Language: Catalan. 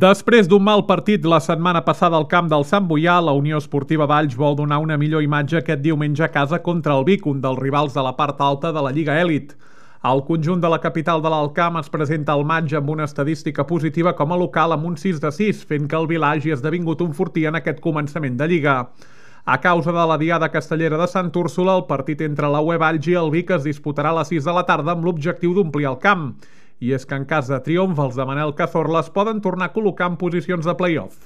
Després d'un mal partit la setmana passada al camp del Sant Boià, la Unió Esportiva Valls vol donar una millor imatge aquest diumenge a casa contra el Vic, un dels rivals de la part alta de la Lliga Elit. El conjunt de la capital de l'Alt Camp es presenta al maig amb una estadística positiva com a local amb un 6-6, fent que el Vila hagi esdevingut un fortí en aquest començament de Lliga. A causa de la diada castellera de Sant Úrsula, el partit entre la UE Valls i el Vic es disputarà a les 6 de la tarda amb l'objectiu d'omplir el camp. I és que en cas de triomf, els de Manel Cazorla es poden tornar a col·locar en posicions de play-off.